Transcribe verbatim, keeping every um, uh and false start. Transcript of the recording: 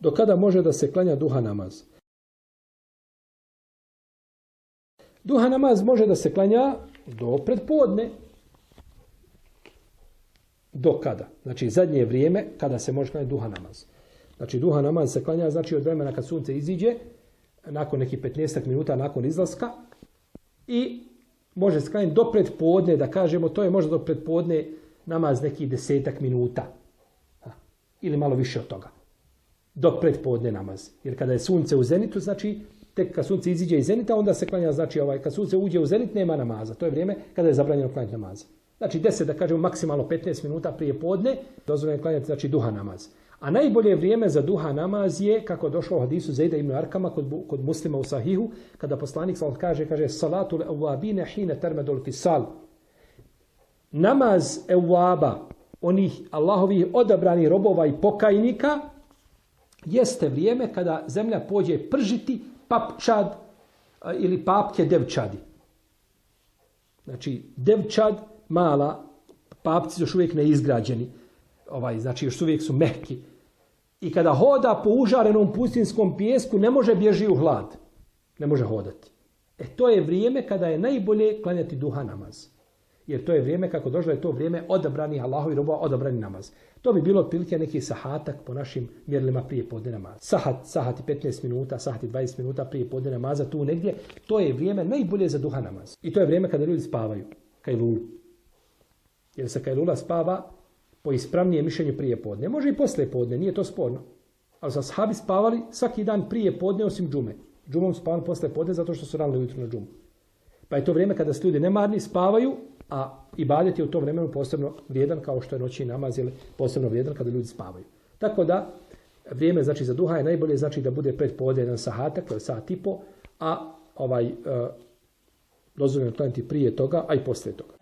Do kada može da se klanja duha namaz? Duha namaz može da se klanja do predpodne. Do kada? Znači zadnje vrijeme kada se može klanjati duha namaz. Znači duha namaz se klanja znači od vremena kad sunce iziđe, nakon nekih petnaest minuta nakon izlaska i može se klanjati do predpodne, da kažemo, to je možda do predpodne namaz nekih desetak minuta. Ili malo više od toga. Do predpodne namaz. Jer kada je sunce u zenitu, znači tek kad sunce iziđe iz zenita, onda se klanja, znači ovaj, kad sunce uđe u zenit, nema namaza. To je vrijeme kada je zabranjeno klanjati namaza. Znači deset, da kažemo, maksimalno petnaest minuta prije podne, dozvoljeno je klanjati, znači duha namaz. A najbolje vrijeme za duha namaz je, kako je došlo u hadisu Zejda ibn Arkama kod, kod Muslima u Sahihu, kada poslanik sallallahu kaže, kaže, salatul awabine hine termedul fisal. Namaz evaba, onih Allahovih odabranih robova i pokajnika, jeste vrijeme kada zemlja pođe pržiti papčad ili papke devčadi. Znači, devčad, mala, papci još uvijek neizgrađeni, ovaj, znači još uvijek su mehki. I kada hoda po užarenom pustinskom pijesku, ne može bježi u hlad. Ne može hodati. E to je vrijeme kada je najbolje klanjati duha namaz. Jer to je vrijeme, kako došlo, je to vrijeme odabrani Allahovi robova, odabrani namaz. To bi bilo otprilike neki sahatak po našim mjerilima prije podne namaza. Sahat, sahat i petnaest minuta, sahat i dvadeset minuta prije podne namaza, tu negdje. To je vrijeme najbolje za duha namaz. I to je vrijeme kada ljudi spavaju. Kajlulu. Jer se kajlula spava po ispravnijem mišljenju prije podne. Može i poslije podne, nije to sporno. Ali su ashabi spavali svaki dan prije podne osim džume. Džumom spavali poslije podne zato što su rano ujutro na džumu. Pa je to vrijeme kada se ljudi nemarni spavaju, a ibadet je u tom vremenu posebno vrijedan kao što je noćni namaz, ili posebno vrijedan kada ljudi spavaju. Tako da vrijeme znači za duha je najbolje znači da bude pred podne jedan sahatak, to je sat i po, a ovaj uh, dozvoljeno klanjati prije toga, a i poslije toga.